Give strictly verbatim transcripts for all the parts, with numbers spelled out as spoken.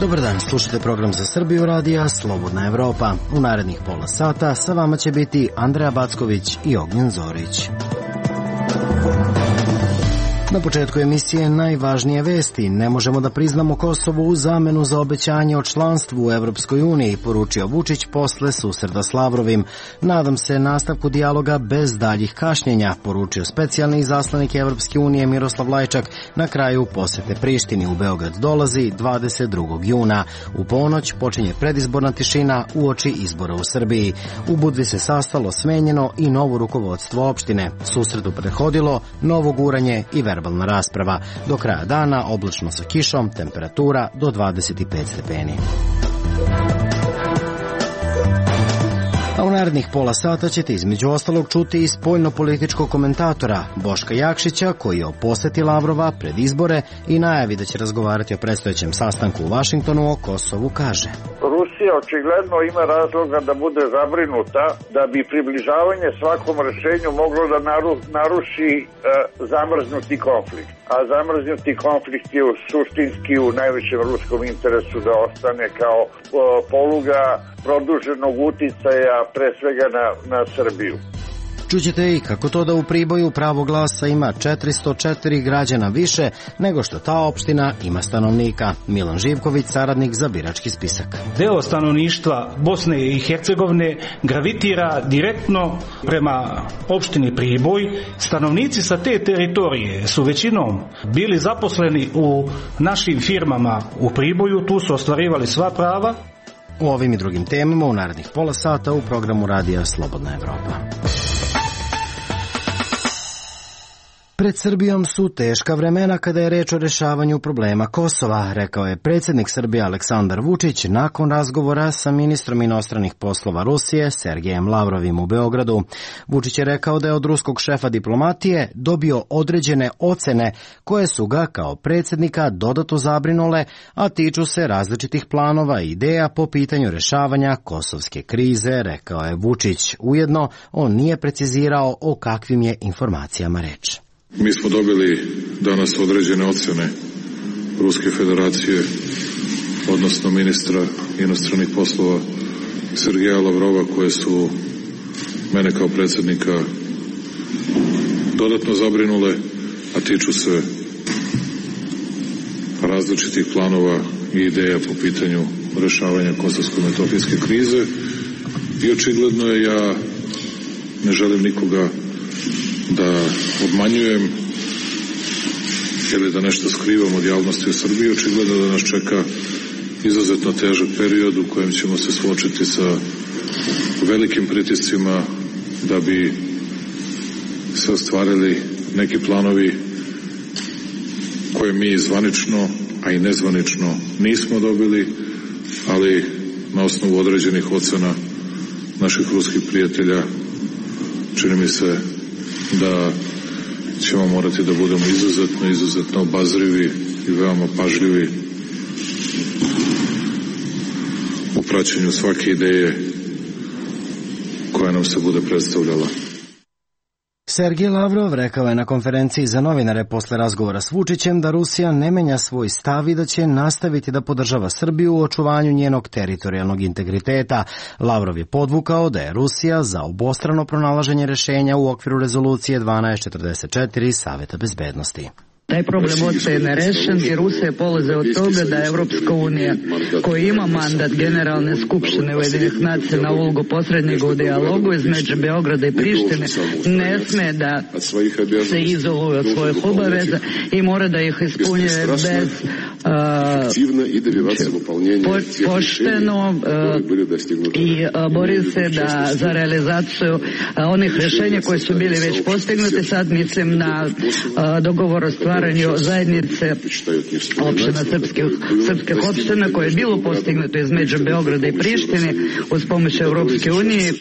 Dobar dan, slušajte program za Srbiju radija Slobodna Evropa. U narednih pola sata sa vama će biti Andreja Backović i Ognjen Zorić. Na početku emisije najvažnije vesti. Ne možemo da priznamo Kosovo u zamenu za obećanje o članstvu u Evropskoj uniji, poručio Vučić posle susreta s Lavrovim. Nadam se nastavku dijaloga bez daljih kašnjenja, poručio specijalni izaslanik Evropske unije Miroslav Lajčak na kraju posete Prištini. U Beograd dolazi dvadeset drugog juna. U ponoć počinje predizborna tišina uoči izbora u Srbiji. U Budvi se sastalo smenjeno i novo rukovodstvo opštine. Susretu prethodilo novo guranje i verbalna rasprava. Do kraja dana oblačno sa kišom, temperatura do dvadeset pet stepeni. A u narednih pola sata ćete između ostalog čuti i spoljno-političkog komentatora Boška Jakšića, koji je o poseti Lavrova pred izbore i najavi da će razgovarati o predstojećem sastanku u Vašingtonu o Kosovu, kaže. Rusija očigledno ima razloga da bude zabrinuta da bi približavanje svakom rešenju moglo da naru, naruši e, zamrznuti konflikt. A zamrznuti konflikt je u, suštinski u najvećem ruskom interesu da ostane kao e, poluga produženog uticaja pre svega na, na Srbiju. Čućete i kako to da u Priboju pravo glasa ima četiristo četiri građana više nego što ta opština ima stanovnika. Milan Živković, saradnik za birački spisak. Deo stanovništva Bosne i Hercegovine gravitira direktno prema opštini Priboj. Stanovnici sa te teritorije su većinom bili zaposleni u našim firmama u Priboju, tu su ostvarivali sva prava. U ovim i drugim temama u narednih pola sata u programu radija Slobodna Evropa. Pred Srbijom su teška vremena kada je reč o rešavanju problema Kosova, rekao je predsjednik Srbije Aleksandar Vučić nakon razgovora sa ministrom inostranih poslova Rusije Sergejem Lavrovim u Beogradu. Vučić je rekao da je od ruskog šefa diplomatije dobio određene ocene koje su ga kao predsjednika dodatno zabrinule, a tiču se različitih planova i ideja po pitanju rešavanja kosovske krize, rekao je Vučić. Ujedno, on nije precizirao o kakvim je informacijama reč. Mi smo dobili danas određene ocjene Ruske federacije, odnosno ministra inostranih poslova Sergeja Lavrova, koje su mene kao predsjednika dodatno zabrinule, a tiču se različitih planova i ideja po pitanju rešavanja kosovsko-metohijske krize. I očigledno je, ja ne želim nikoga da obmanjujem ili da nešto skrivam od javnosti u Srbiji. Očigledno da nas čeka izuzetno težak period u kojem ćemo se suočiti sa velikim pritiscima da bi se ostvarili neki planovi koje mi zvanično, a i nezvanično nismo dobili, ali na osnovu određenih ocena naših ruskih prijatelja čini mi se da ćemo morati da budemo izuzetno, izuzetno obazrivi i veoma pažljivi u praćenju svake ideje koja nam se bude predstavljala. Sergej Lavrov rekao je na konferenciji za novinare posle razgovora s Vučićem da Rusija ne menja svoj stav i da će nastaviti da podržava Srbiju u očuvanju njenog teritorijalnog integriteta. Lavrov je podvukao da je Rusija za obostrano pronalaženje rešenja u okviru rezolucije dvanaest četrdeset četiri Saveta bezbednosti. Taj problem ostaje nerešen i Rusija polaze od toga da Evropska unija, koja ima mandat Generalne skupštine Ujedinjenih nacija na ulogu posrednika u dijalogu između Beograda i Prištine, ne sme da se izoluje od svojih obaveza i mora da ih ispunjuje bez po, pošteno i bori se da za realizaciju onih rešenja koji su bili već postignuti. Sad mislim na dogovor o stvaranju zajednice opština srpskih, srpskih opština koje je bilo postignuto između Beograda i Prištine uz pomoć Evropske unije.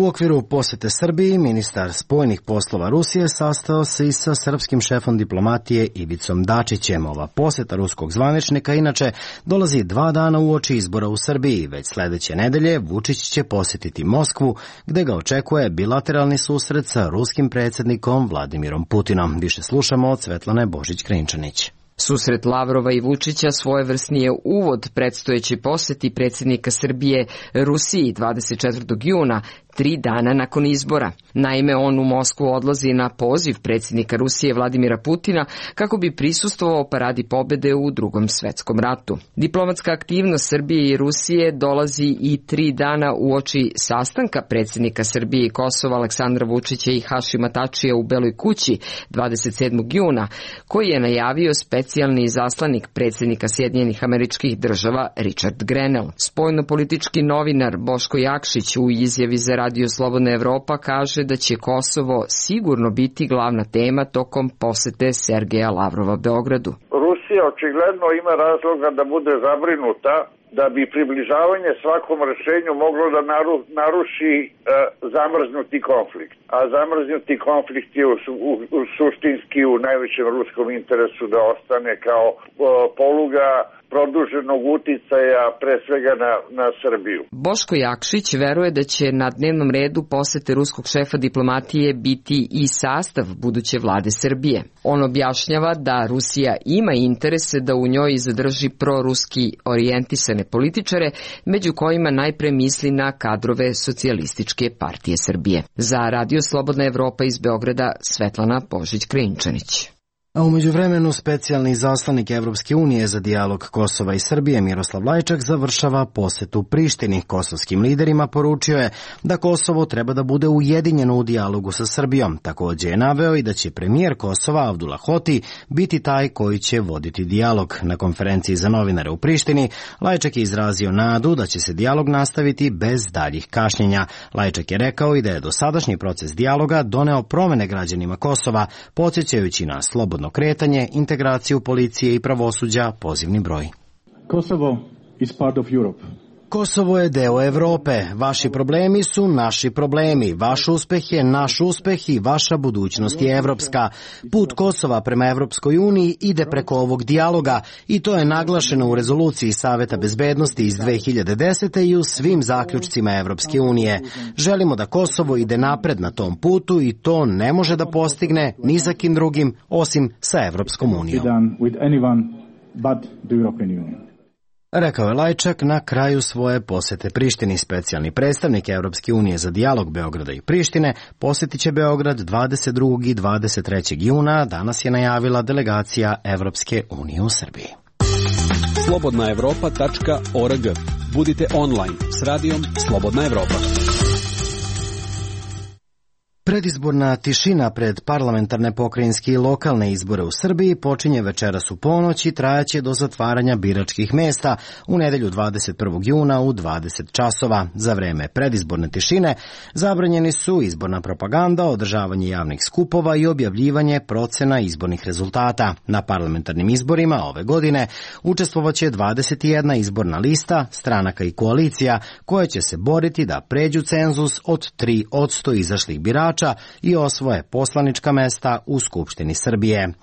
U okviru posete Srbiji, ministar spoljnih poslova Rusije sastao se i sa srpskim šefom diplomatije Ivicom Dačićem. Ova poseta ruskog zvaničnika inače dolazi dva dana uoči izbora u Srbiji. Već sledeće nedelje Vučić će posjetiti Moskvu, gde ga očekuje bilateralni susret sa ruskim predsjednikom Vladimirom Putinom. Više slušamo od Svetlane Božić-Krinčanić. Susret Lavrova i Vučića svojevrsni je uvod predstojeći poseti predsjednika Srbije Rusiji dvadeset četvrtog juna, tri dana nakon izbora. Naime, on u Moskvu odlazi na poziv predsjednika Rusije Vladimira Putina kako bi prisustvovao paradi pobede u Drugom svetskom ratu. Diplomatska aktivnost Srbije i Rusije dolazi i tri dana uoči sastanka predsjednika Srbije i Kosova Aleksandra Vučića i Hašima Tačija u Beloj kući dvadeset sedmog juna, koji je najavio specijalni izaslanik predsjednika Sjedinjenih Američkih Država Richard Grenell. Spoljnopolitički novinar Boško Jakšić u izjavi za Radio Slobodna Evropa kaže da će Kosovo sigurno biti glavna tema tokom posete Sergeja Lavrova Beogradu. Rusija očigledno ima razloga da bude zabrinuta da bi približavanje svakom rešenju moglo da naru, naruši e, zamrznuti konflikt. A zamrznuti konflikt je u, u, u suštinski u najvećem ruskom interesu da ostane kao o, poluga produženog uticaja pre svega na, na Srbiju. Boško Jakšić veruje da će na dnevnom redu posete ruskog šefa diplomatije biti i sastav buduće vlade Srbije. On objašnjava da Rusija ima interese da u njoj zadrži proruski orijentisane političare, među kojima najpre misli na kadrove Socijalističke partije Srbije. Za Radio Slobodna Evropa iz Beograda Svetlana Božić-Krinčanić. A umeđu vremenu specijalni izaslanik Evropske unije za dijalog Kosova i Srbije Miroslav Lajčak završava posetu Prištini. Kosovskim liderima poručio je da Kosovo treba da bude ujedinjeno u dijalogu sa Srbijom. Takođe je naveo i da će premijer Kosova Avdula Hoti biti taj koji će voditi dijalog. Na konferenciji za novinare u Prištini Lajčak je izrazio nadu da će se dijalog nastaviti bez daljih kašnjenja. Lajčak je rekao i da je dosadašnji proces dijaloga doneo promene građanima Kosova, podsjećajući na slobodno kretanje, integraciju policije i pravosuđa, pozivni broj. Kosovo is part of Europe. Kosovo je deo Evrope. Vaši problemi su naši problemi. Vaš uspeh je naš uspeh i vaša budućnost je evropska. Put Kosova prema Evropskoj uniji ide preko ovog dijaloga i to je naglašeno u rezoluciji Saveta bezbednosti iz dve hiljade desete. i u svim zaključcima Evropske unije. Želimo da Kosovo ide napred na tom putu i to ne može da postigne ni sa kim drugim osim sa Evropskom unijom. Rekao je Lajčak na kraju svoje posete Prištini. Specijalni predstavnik Evropske unije za dijalog Beograda i Prištine posjetit će Beograd dvadeset drugog i dvadeset trećeg juna. Danas je najavila delegacija Evropske unije u Srbiji. slobodna evropa tačka org. Budite online s radijom Slobodna Evropa. Predizborna tišina pred parlamentarne, pokrajinske i lokalne izbore u Srbiji počinje večeras u ponoć i trajaće do zatvaranja biračkih mesta u nedelju dvadeset prvog juna u dvadeset časova. Za vreme predizborne tišine zabranjeni su izborna propaganda, održavanje javnih skupova i objavljivanje procena izbornih rezultata. Na parlamentarnim izborima ove godine učestvovaće dvadeset jedna izborna lista, stranaka i koalicija koje će se boriti da pređu cenzus od tri posto izašlih birača i osvoje poslanička mesta u Skupštini Srbije.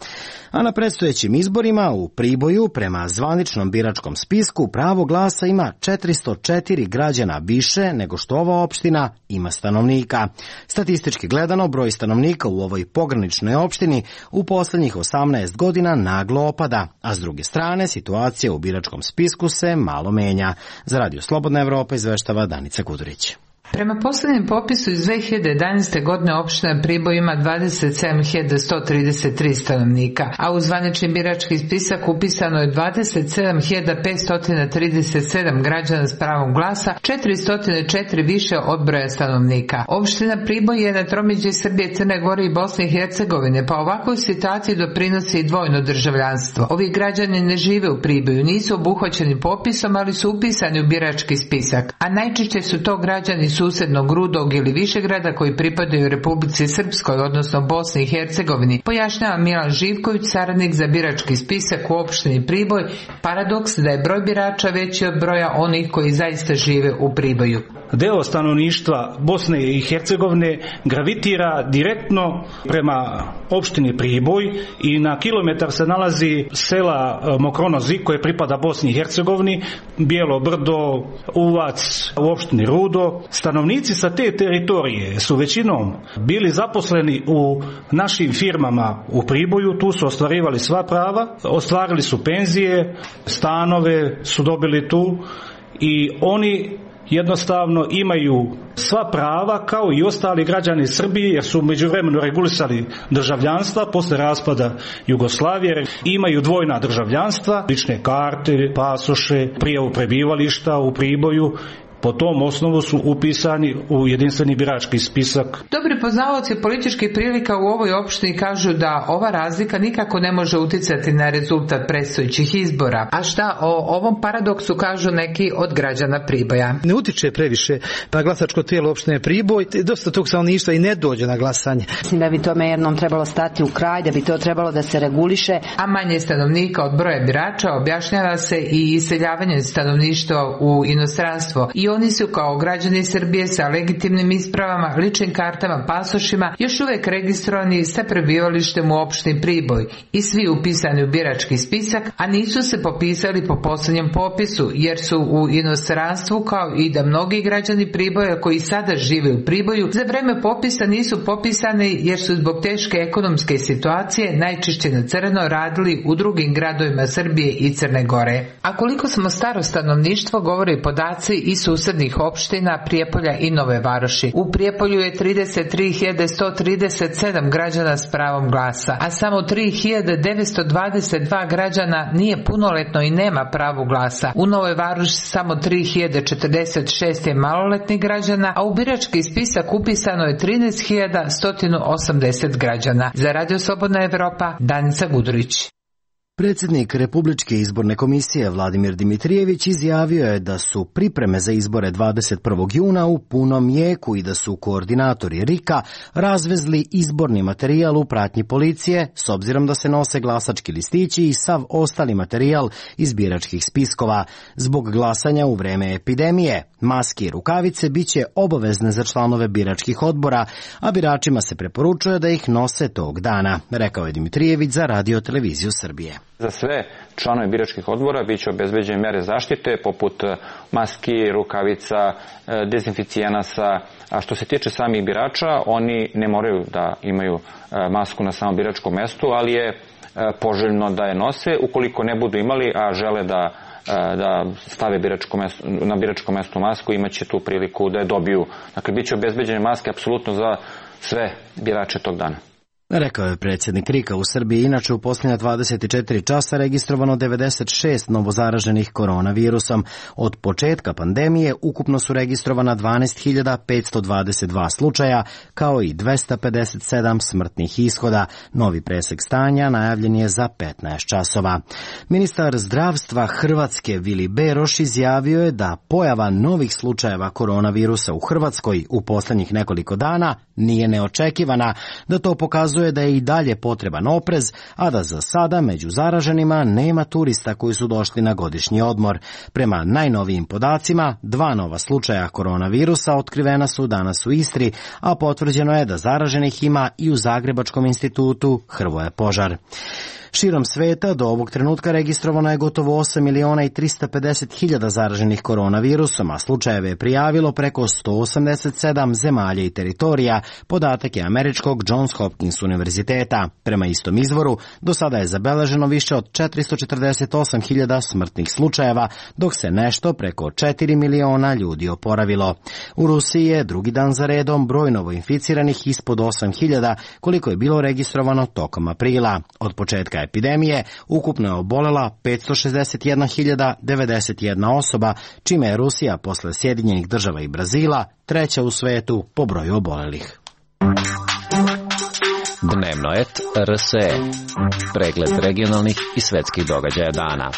A na predstojećim izborima u Priboju prema zvaničnom biračkom spisku pravo glasa ima četiristo četiri građana više nego što ova opština ima stanovnika. Statistički gledano, broj stanovnika u ovoj pograničnoj opštini u poslednjih osamnaest godina naglo opada, a s druge strane situacija u biračkom spisku se malo menja. Za Radio Slobodna Evropa izveštava Danica Kudurić. Prema posljednjem popisu iz dve hiljade jedanaeste. godine opština Priboj ima dvadeset sedam hiljada sto trideset tri stanovnika, a u zvanični birački spisak upisano je dvadeset sedam hiljada petsto trideset sedam građana s pravom glasa, četiristo četiri više od broja stanovnika. Opština Priboj je na tromeđi Srbije, Crne Gore i Bosne i Hercegovine, pa ovakvoj situaciji doprinosi i dvojno državljanstvo. Ovi građani ne žive u Priboju, nisu obuhvaćeni popisom, ali su upisani u birački spisak, a najčešće su to građani susednog Rudog ili Višegrada koji pripadaju Republici Srpskoj, odnosno Bosni i Hercegovini, pojašnjava Milan Živković, saradnik za birački spisak u opštini Priboj. Paradoks da je broj birača veći od broja onih koji zaista žive u Priboju. deo stanovništva Bosne i Hercegovine gravitira direktno prema opštini Priboj i na kilometar se nalazi sela Mokronozi koje pripada Bosni i Hercegovini, Bijelo Brdo, Uvac u opštini Rudo. Stanovnici sa te teritorije su većinom bili zaposleni u našim firmama u Priboju, tu su ostvarivali sva prava, ostvarili su penzije, stanove su dobili tu i oni jednostavno imaju sva prava kao i ostali građani Srbije, jer su međuvremeno regulisali državljanstva posle raspada Jugoslavije, imaju dvojna državljanstva, lične karte, pasoše, prijavu prebivališta u Priboju. Po tom osnovu su upisani u jedinstveni birački spisak. Dobri poznavaoci političkih prilika u ovoj opštini kažu da ova razlika nikako ne može uticati na rezultat predstojećih izbora. A šta o ovom paradoksu kažu neki od građana Priboja? Ne utiče previše, pa glasačko tijelo opštine Priboj, dosta tog stanovništva i ne dođe na glasanje. Mislim da bi tome jednom trebalo stati u kraj, da bi to trebalo da se reguliše. A manje stanovnika od broja birača objašnjava se i iseljavanje stanovništva u inostranstvo. I oni su kao građani Srbije sa legitimnim ispravama, ličnim kartama, pasošima još uvek registrovani sa prebivalištem u opštini Priboj i svi upisani u birački spisak, a nisu se popisali po poslednjem popisu jer su u inostranstvu, kao i da mnogi građani Priboja koji sada žive u Priboju za vreme popisa nisu popisani jer su zbog teške ekonomske situacije najčešće na crno radili u drugim gradovima Srbije i Crne Gore. A koliko smo staro stanovništvo govore podaci i susednih opština Prijepolja i Nove Varoši. U Prijepolju je trideset tri hiljade sto trideset sedam građana s pravom glasa, a samo tri hiljade devetsto dvadeset dva građana nije punoletno i nema pravo glasa. U Novoj Varoši samo tri hiljade četrdeset šest je maloletnih građana, a u birački spisak upisano je trinaest hiljada sto osamdeset građana. Za Radio Slobodna Evropa, Danica Gudurić. Predsjednik Republičke izborne komisije Vladimir Dimitrijević izjavio je da su pripreme za izbore dvadeset prvog juna u punom jeku i da su koordinatori R I K-a razvezli izborni materijal u pratnji policije s obzirom da se nose glasački listići i sav ostali materijal iz biračkih spiskova. Zbog glasanja u vreme epidemije, maske i rukavice biće obavezne za članove biračkih odbora, a biračima se preporučuje da ih nose tog dana, rekao je Dimitrijević za Radio televiziju Srbije. Za sve članove biračkih odbora biće obezbeđene mere zaštite poput maski, rukavica, dezinficijenasa, a što se tiče samih birača, oni ne moraju da imaju masku na samom biračkom mestu, ali je poželjno da je nose. Ukoliko ne budu imali, a žele da da stave biračko mesto, na biračkom mestu masku, imaće tu priliku da je dobiju. Dakle, biće obezbeđene maske apsolutno za sve birače tog dana. Rekao je predsjednik R I K-a. U Srbiji inače u posljednja dvadeset četiri časa registrovano devedeset šest novozaraženih koronavirusom. Od početka pandemije ukupno su registrovana dvanaest hiljada petsto dvadeset dva slučaja, kao i dvesta pedeset sedam smrtnih ishoda. Novi presek stanja najavljen je za petnaest časova. Ministar zdravstva Hrvatske Vili Beroš izjavio je da pojava novih slučajeva koronavirusa u Hrvatskoj u posljednjih nekoliko dana nije neočekivana, da to pokazuje da je i dalje potreban oprez, a da za sada među zaraženima nema turista koji su došli na godišnji odmor. Prema najnovijim podacima, dva nova slučaja koronavirusa otkrivena su danas u Istri, a potvrđeno je da zaraženih ima i u Zagrebačkom institutu Hrvoje Požar. Širom sveta do ovog trenutka registrovano je gotovo osam miliona i trista pedeset hiljada zaraženih koronavirusom, a slučajeve je prijavilo preko sto osamdeset sedam zemalja i teritorija, podatak je američkog Johns Hopkins univerziteta. Prema istom izvoru, do sada je zabeleženo više od četiristo četrdeset osam hiljada smrtnih slučajeva, dok se nešto preko četiri miliona ljudi oporavilo. U Rusiji je drugi dan za redom broj novoinficiranih ispod osam hiljada, koliko je bilo registrovano tokom aprila. Od početka epidemije ukupno je obolela petsto šezdeset jedna hiljada devedeset jedna osoba, čime je Rusija posle Sjedinjenih država i Brazila treća u svetu po broju obolelih. Dnevno et R S E. Pregled regionalnih i svetskih događaja dana.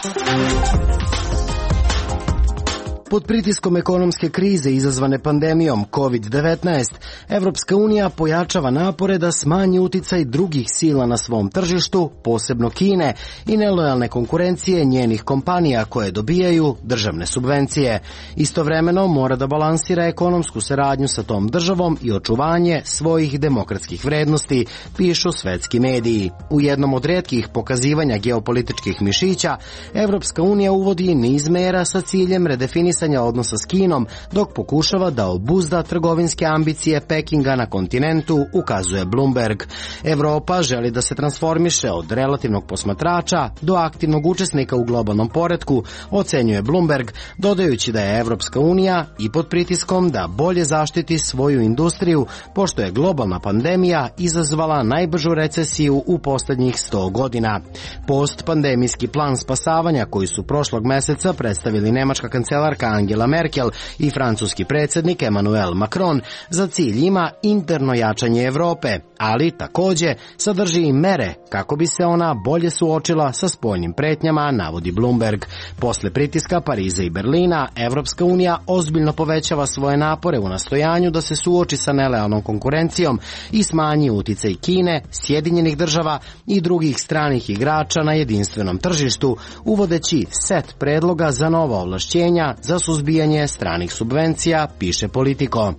Pod pritiskom ekonomske krize izazvane pandemijom kovid devetnaest, Evropska unija pojačava napore da smanji uticaj drugih sila na svom tržištu, posebno Kine, i nelojalne konkurencije njenih kompanija koje dobijaju državne subvencije. Istovremeno mora da balansira ekonomsku saradnju sa tom državom i očuvanje svojih demokratskih vrednosti, pišu svetski mediji. U jednom od retkih pokazivanja geopolitičkih mišića, Evropska unija uvodi niz mera sa ciljem redefinisanja odnosa s Kinom, dok pokušava da obuzda trgovinske ambicije Pekinga na kontinentu, ukazuje Bloomberg. Evropa želi da se transformiše od relativnog posmatrača do aktivnog učesnika u globalnom poretku, ocenjuje Bloomberg, dodajući da je Evropska unija i pod pritiskom da bolje zaštiti svoju industriju, pošto je globalna pandemija izazvala najbržu recesiju u poslednjih sto godina. Postpandemijski plan spasavanja koji su prošlog meseca predstavili nemačka kancelarka Angela Merkel i francuski predsjednik Emmanuel Macron za cilj ima interno jačanje Evrope, ali takođe sadrži i mere kako bi se ona bolje suočila sa spoljnim pretnjama, navodi Bloomberg. Posle pritiska Pariza i Berlina, Evropska unija ozbiljno povećava svoje napore u nastojanju da se suoči sa nelojalnom konkurencijom i smanji uticaj Kine, Sjedinjenih država i drugih stranih igrača na jedinstvenom tržištu, uvodeći set predloga za nova ovlašćenja za suzbijanje stranih subvencija, piše Politico.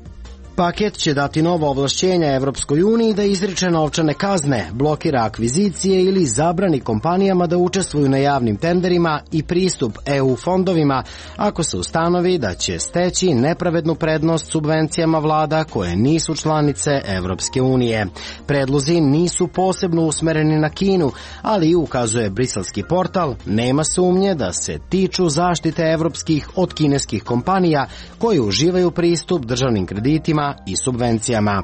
Paket će dati nova ovlašćenja Evropskoj uniji da izriče novčane kazne, blokira akvizicije ili zabrani kompanijama da učestvuju na javnim tenderima i pristup E U fondovima ako se ustanovi da će steći nepravednu prednost subvencijama vlada koje nisu članice Evropske unije. Predlozi nisu posebno usmereni na Kinu, ali ukazuje briselski portal, nema sumnje da se tiču zaštite evropskih od kineskih kompanija koje uživaju pristup državnim kreditima i subvencijama.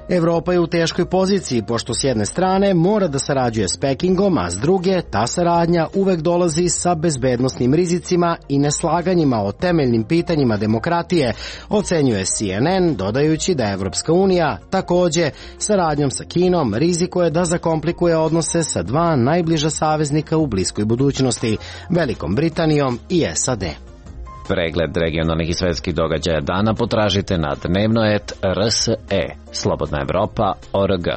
Evropa je u teškoj poziciji, pošto s jedne strane mora da sarađuje s Pekingom, a s druge ta saradnja uvek dolazi sa bezbednosnim rizicima i neslaganjima o temeljnim pitanjima demokratije, ocenjuje C N N, dodajući da Evropska unija takođe saradnjom sa Kinom rizikuje da zakomplikuje odnose sa dva najbliža saveznika u bliskoj budućnosti, Velikom Britanijom i S A D. Pregled regionalnih i svetskih događaja dana potražite na dnevnoet R S E, Slobodna Evropa, O R G.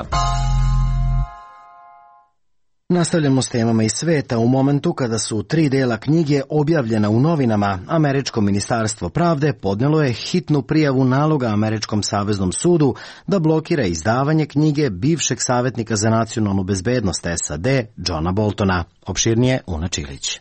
Nastavljamo s temama iz sveta. U momentu kada su tri dela knjige objavljena u novinama, Američko ministarstvo pravde podnelo je hitnu prijavu naloga Američkom saveznom sudu da blokira izdavanje knjige bivšeg savjetnika za nacionalnu bezbednost S A D, Johna Boltona. Opširnije Una Čilić.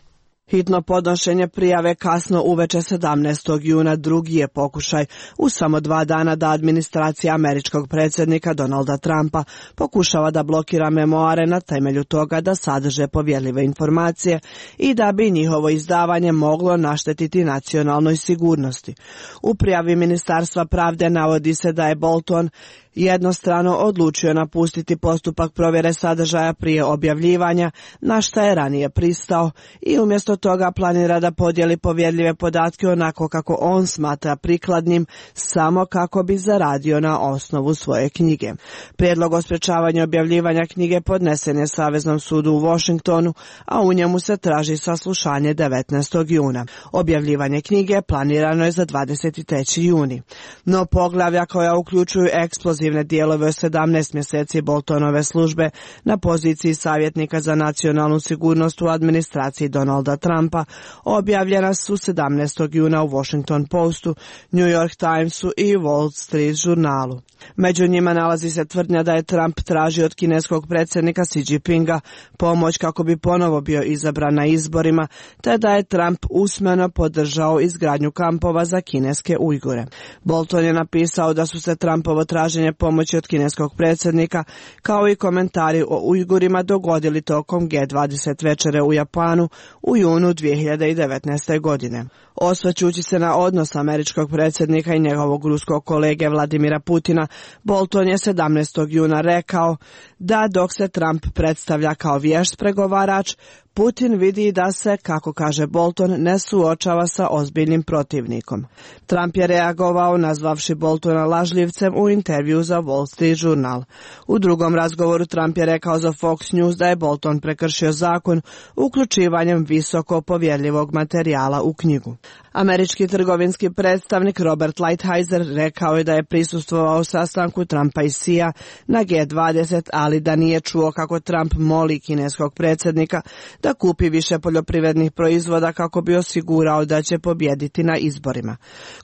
Hitno podnošenje prijave kasno uveče sedamnaestog juna drugi je pokušaj u samo dva dana da administracija američkog predsjednika Donalda Trumpa pokušava da blokira memoare na temelju toga da sadrže povjerljive informacije i da bi njihovo izdavanje moglo naštetiti nacionalnoj sigurnosti. U prijavi Ministarstva pravde navodi se da je Bolton jednostrano odlučio napustiti postupak provjere sadržaja prije objavljivanja, na šta je ranije pristao, i umjesto toga planira da podijeli povjerljive podatke onako kako on smatra prikladnim, samo kako bi zaradio na osnovu svoje knjige. Prijedlog o sprečavanju objavljivanja knjige podnesen je Saveznom sudu u Washingtonu, a u njemu se traži saslušanje devetnaestog juna. Objavljivanje knjige planirano je za dvadeset treći juni. No poglavlja koja uključuju eksplozivne dijelove o sedamnaest mjeseci Boltonove službe na poziciji savjetnika za nacionalnu sigurnost u administraciji Donalda Trumpa objavljena su sedamnaestog juna u Washington Postu, New York Timesu i Wall Street žurnalu. Među njima nalazi se tvrdnja da je Trump tražio od kineskog predsjednika Xi Jinpinga pomoć kako bi ponovo bio izabran na izborima, te da je Trump usmeno podržao izgradnju kampova za kineske Ujgure. Bolton je napisao da su se Trumpovo traženje pomoći od kineskog predsjednika, kao i komentari o Ujgurima, dogodili tokom G dvadeset večere u Japanu u junu dvije hiljade devetnaeste. godine. Osvrćući se na odnos američkog predsjednika i njegovog ruskog kolege Vladimira Putina, Bolton je sedamnaestog juna rekao da dok se Trump predstavlja kao vješt pregovarač, Putin vidi da se, kako kaže Bolton, ne suočava sa ozbiljnim protivnikom. Trump je reagovao nazvavši Boltona lažljivcem u intervju za Wall Street žurnal. U drugom razgovoru Trump je rekao za Fox News da je Bolton prekršio zakon uključivanjem visoko povjerljivog materijala u knjigu. Američki trgovinski predstavnik Robert Lighthizer rekao je da je prisustvovao sastanku Trumpa i Xija na G dvadeset, ali da nije čuo kako Trump moli kineskog predsjednika da kupi više poljoprivrednih proizvoda kako bi osigurao da će pobjediti na izborima.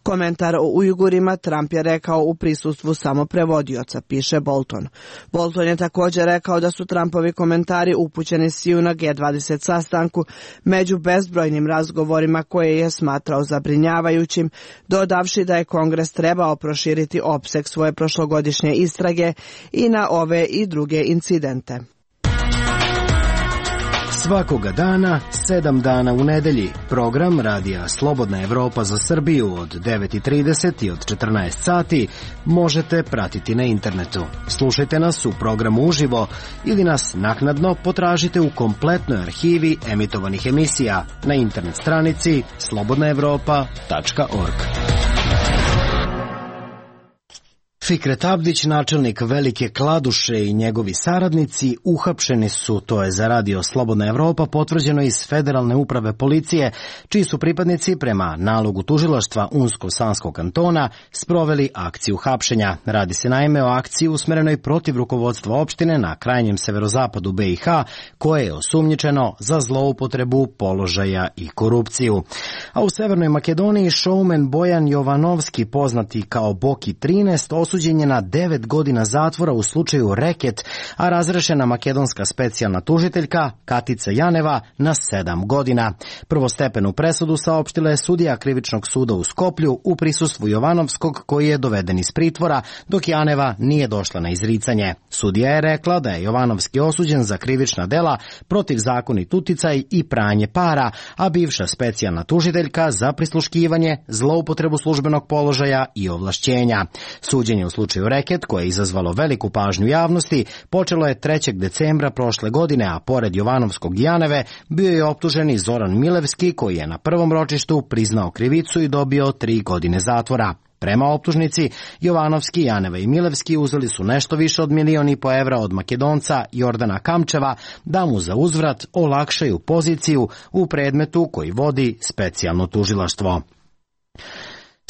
Komentar o Ujgurima Trump je rekao u prisustvu samo prevodioca, piše Bolton. Bolton je također rekao da su Trumpovi komentari upućeni Xiju na G dvadeset sastanku među bezbrojnim razgovorima koje je smatrao zabrinjavajućim, dodavši da je Kongres trebao proširiti opseg svoje prošlogodišnje istrage i na ove i druge incidente. Svakoga dana, sedam dana u nedelji, program radija Slobodna Evropa za Srbiju od devet i trideset i od četrnaest sati možete pratiti na internetu. Slušajte nas u programu uživo ili nas naknadno potražite u kompletnoj arhivi emitovanih emisija na internet stranici slobodna evropa tačka org. Fikret Abdić, načelnik Velike Kladuše i njegovi saradnici uhapšeni su, to je za radio Slobodna Evropa potvrđeno iz Federalne uprave policije, čiji su pripadnici prema nalogu tužilaštva Unsko-Sanskog kantona sproveli akciju hapšenja. Radi se naime o akciji usmerenoj protiv rukovodstva opštine na krajnjem severozapadu B i H, koje je osumnjičeno za zloupotrebu položaja i korupciju. A u Severnoj Makedoniji showman Bojan Jovanovski, poznati kao Boki trinaest, osuđen je na devet godina zatvora u slučaju reket, a razrešena makedonska specijalna tužiteljka Katica Janeva na sedam godina. Prvostepenu presudu saopštila je sudija Krivičnog suda u Skoplju u prisustvu Jovanovskog, koji je doveden iz pritvora, dok Janeva nije došla na izricanje. Sudija je rekla da je Jovanovski osuđen za krivična dela, protivzakonit uticaj i pranje para, a bivša specijalna tužiteljka za prisluškivanje, zloupotrebu službenog položaja i ovlašćenja. Suđenje u slučaju reket, koje je izazvalo veliku pažnju javnosti, počelo je trećeg decembra prošle godine, a pored Jovanovskog i Janeve bio je optužen i Zoran Milevski, koji je na prvom ročištu priznao krivicu i dobio tri godine zatvora. Prema optužnici, Jovanovski, Janeva i Milevski uzeli su nešto više od milion i po evra od Makedonca Jordana Kamčeva da mu za uzvrat olakšaju poziciju u predmetu koji vodi specijalno tužilaštvo.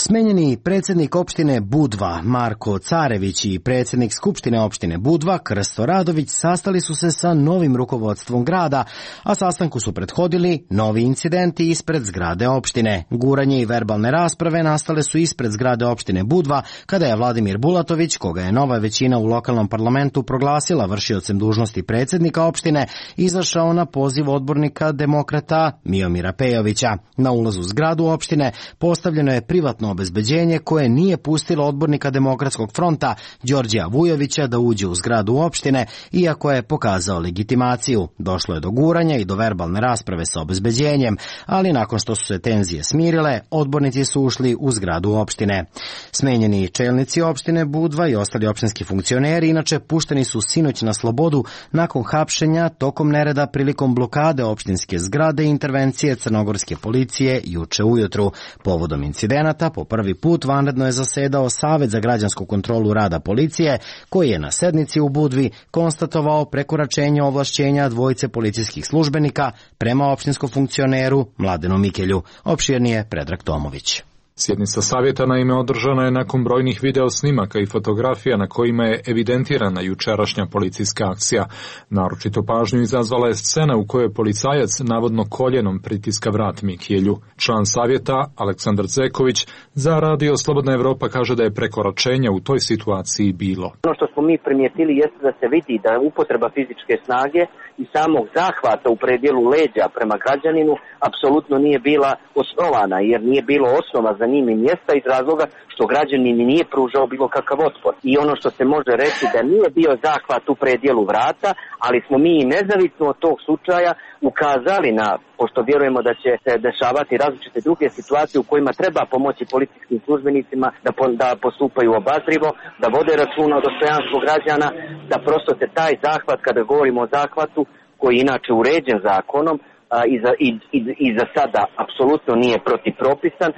Smenjeni predsjednik opštine Budva Marko Carević i predsjednik Skupštine opštine Budva Krsto Radović sastali su se sa novim rukovodstvom grada, a sastanku su prethodili novi incidenti ispred zgrade opštine. Guranje i verbalne rasprave nastale su ispred zgrade opštine Budva kada je Vladimir Bulatović, koga je nova većina u lokalnom parlamentu proglasila vršiocem dužnosti predsjednika opštine, izašao na poziv odbornika demokrata Miomira Pejovića. Na ulazu u zgradu opštine postavljeno je privatno obezbeđenje koje nije pustilo odbornika Demokratskog fronta Đorđija Vujovića da uđe u zgradu opštine, iako je pokazao legitimaciju. Došlo je do guranja i do verbalne rasprave sa obezbeđenjem, ali nakon što su se tenzije smirile, odbornici su ušli u zgradu opštine. Smenjeni čelnici opštine Budva i ostali opštinski funkcioneri inače pušteni su sinoć na slobodu nakon hapšenja tokom nereda prilikom blokade opštinske zgrade i intervencije crnogorske policije juče ujutru. Povodom incidenata po prvi put vanredno je zasedao Savet za građansku kontrolu rada policije, koji je na sednici u Budvi konstatovao prekoračenje ovlašćenja dvojice policijskih službenika prema opštinskom funkcioneru Mladenu Mikelju. Opširnije Predrag Tomović. Sjednica savjeta naime održana je nakon brojnih video snimaka i fotografija na kojima je evidentirana jučerašnja policijska akcija. Naročito pažnju izazvala je scena u kojoj policajac navodno koljenom pritiska vrat Mikjelju. Član savjeta Aleksandar Zeković za radio Slobodna Evropa kaže da je prekoračenja u toj situaciji bilo. Ono što smo mi primijetili jeste da se vidi da upotreba fizičke snage i samog zahvata u predjelu leđa prema građaninu apsolutno nije bila osnovana, jer nije bilo osnova za njim i mjesta iz razloga što građanin nije pružao bilo kakav otpor. I ono što se može reći da nije bio zahvat u predjelu vrata, ali smo mi nezavisno od tog slučaja ukazali na, pošto vjerujemo da će se dešavati različite druge situacije u kojima treba pomoći policijskim službenicima da, po, da postupaju obazrivo, da vode računa o dostojanstvu građana, da prosto se taj zahvat, kada govorimo o zahvatu, koji je inače uređen zakonom, a, i, za, i, i, i za sada apsolutno nije protipropisan,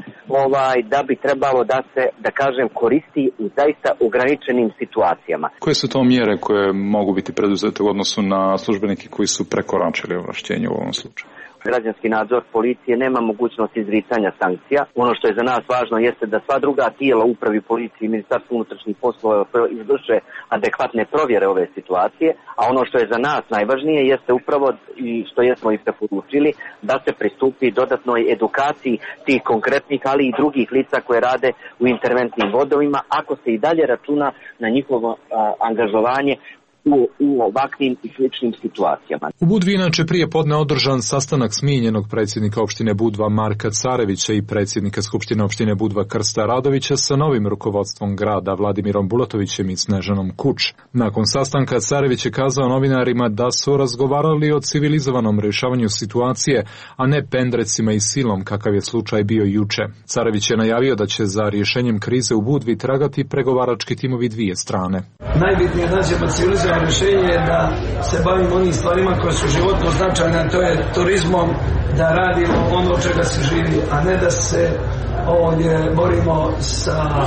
ovaj, da bi trebalo da se, da kažem, koristi u zaista ograničenim situacijama. Koje su to mjere koje mogu biti preduzete u odnosu na službenike koji su prekoračili ovlašćenje u ovom slučaju? građanski nadzor policije nema mogućnost izricanja sankcija. Ono što je za nas važno jeste da sva druga tijela upravi policije i Ministarstvo unutrašnjih poslova izvrše adekvatne provjere ove situacije, a ono što je za nas najvažnije jeste upravo i što jesmo i preporučili da se pristupi dodatnoj edukaciji tih konkretnih, ali i drugih lica koje rade u interventnim vodovima, ako se i dalje računa na njihovo a, angažovanje U, u ovakvim i sličnim situacijama. U Budvi inače prije podne održan sastanak smijenjenog predsjednika opštine Budva Marka Carevića i predsjednika Skupštine opštine Budva Krsta Radovića sa novim rukovodstvom grada Vladimirom Bulatovićem i Snežanom Kuč. Nakon sastanka Carević je kazao novinarima da su razgovarali o civilizovanom rješavanju situacije, a ne pendrecima i silom kakav je slučaj bio juče. Carević je najavio da će za rješenjem krize u Budvi tragati pregovarački timovi dvije strane. Najbitnije je nađemo civilizovano rješenje je da se bavimo onim stvarima koje su životno značajne, to je turizmom, da radimo ono od čega se živi, a ne da se ovdje borimo sa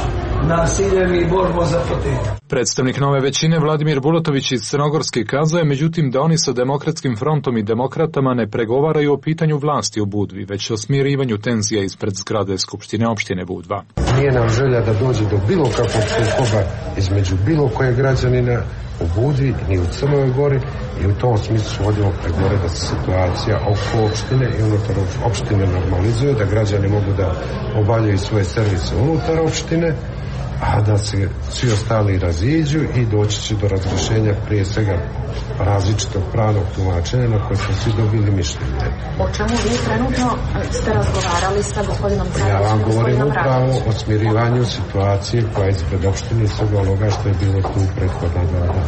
nasiljem i borimo za fotelju. Predstavnik nove većine Vladimir Bulatović iz Crnogorske kazao je međutim da oni sa Demokratskim frontom i demokratama ne pregovaraju o pitanju vlasti u Budvi, već o smirivanju tenzija ispred zgrade Skupštine opštine Budva. Nije nam želja da dođe do bilo kakvog sukoba između bilo koje građanina u Budvi ni u Crnoj Gori i u tom smislu vodimo pregovore da se situacija oko opštine i unutar opštine normalizuje, da građani mogu da obavljaju svoje servise unutar opštine, a da se svi ostali raziđu i doći će do razrješenja prije svega različitog pravnog tumačenja na koje smo svi dobili mišljenje. O čemu vi trenutno ste razgovarali sa gospodinom Carevićem? Ja vam govorim upravo o smirivanju situacije koja je ispred opštine i svega onoga što je bilo tu prethodna dva dana.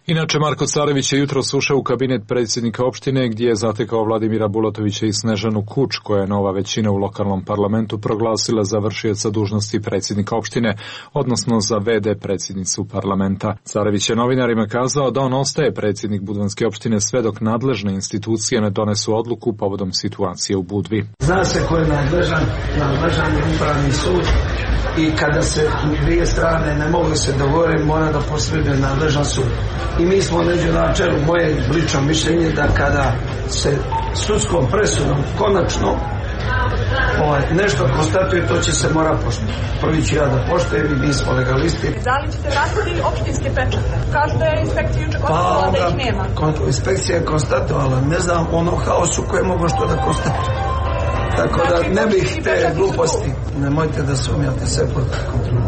Inače, Marko Carević je jutros ušao u kabinet predsjednika opštine gdje je zatekao Vladimira Bulatovića i Snežanu Kuč, koja je nova većina u lokalnom parlamentu proglasila za vršioca dužnosti predsjednika opštine, odnosno za ve de predsjednicu parlamenta. Carević je novinarima kazao da on ostaje predsjednik Budvanske opštine sve dok nadležne institucije ne donesu odluku povodom situacije u Budvi. Zna se ko je nadležan, nadležan je upravni sud i kada se dvije strane ne mogu se dogovoriti, mora da posreduje nadležan sud. I mi smo neđu na čelu, moje lično mišljenje da kada se sudskom presudom konačno ovaj, nešto konstatuje, to će se mora poštovati. Prvi ću ja da poštujem i mi smo legalisti. Da li ćete vratiti opštinske pečate? Kažu da je inspekcija juče konstatovala pa, da ih nema. Kon, inspekcija je konstatovala, ne znam ono haosu koje mogu što da konstatuje. Tako da ne bih te gluposti, nemojte da sumnjate sve pod kontrolom.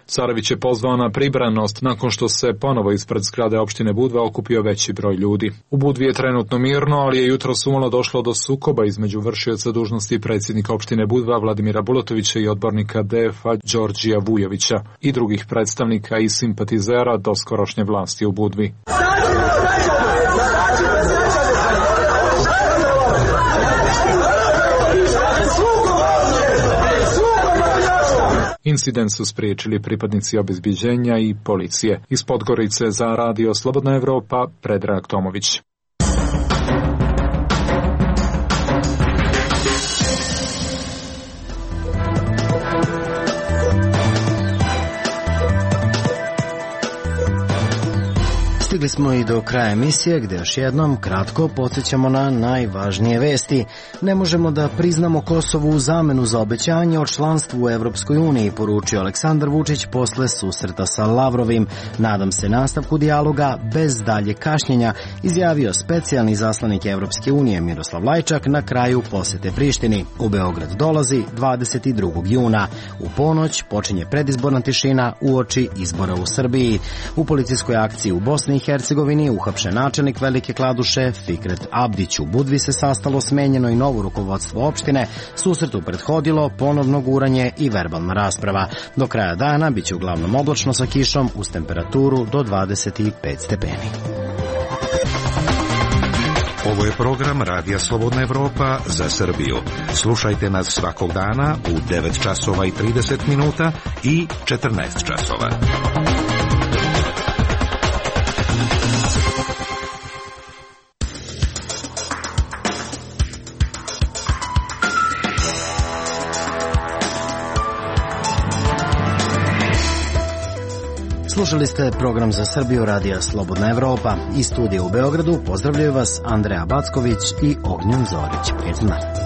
Carević je pozvao na pribranost nakon što se ponovo ispred zgrade opštine Budva okupio veći broj ljudi. U Budvi je trenutno mirno, ali je jutros umalo došlo do sukoba između vršioca dužnosti predsjednika opštine Budva Vladimira Bulatovića i odbornika de ef a Đorđija Vujovića i drugih predstavnika i simpatizera doskorošnje vlasti u Budvi. Incident su spriječili pripadnici obezbeđenja i policije. Iz Podgorice za radio Slobodna Evropa, Predrag Tomović. Stigli smo i do kraja emisije gdje još jednom kratko podsjećamo na najvažnije vesti. Ne možemo da priznamo Kosovo u zamenu za obećanje o članstvu u Evropskoj uniji, poručio Aleksandar Vučić posle susreta sa Lavrovim. Nadam se nastavku dijaloga bez dalje kašnjenja, izjavio specijalni zaslanik Evropske unije Miroslav Lajčak na kraju posete Prištini. U Beograd dolazi dvadeset drugog juna. U ponoć počinje predizborna tišina uoči izbora u Srbiji. U policijskoj akciji u Bosni i Hercegovini uhapšen načelnik Velike Kladuše Fikret Abdić. U Budvi se sastalo smenjeno i novo rukovodstvo opštine. Susretu prethodilo ponovno guranje i verbalna rasprava. Do kraja dana biće uglavnom oblačno sa kišom uz temperaturu do dvadeset pet stepeni. Ovo je program Radija Slobodna Evropa za Srbiju. Slušajte nas svakog dana u devet časova i trideset minuta i četrnaest časova. Slušali ste program za Srbiju radija Slobodna Evropa. Iz studija u Beogradu pozdravljaju vas Andreja Backović i Ognjen Zorić. Prijetan dan.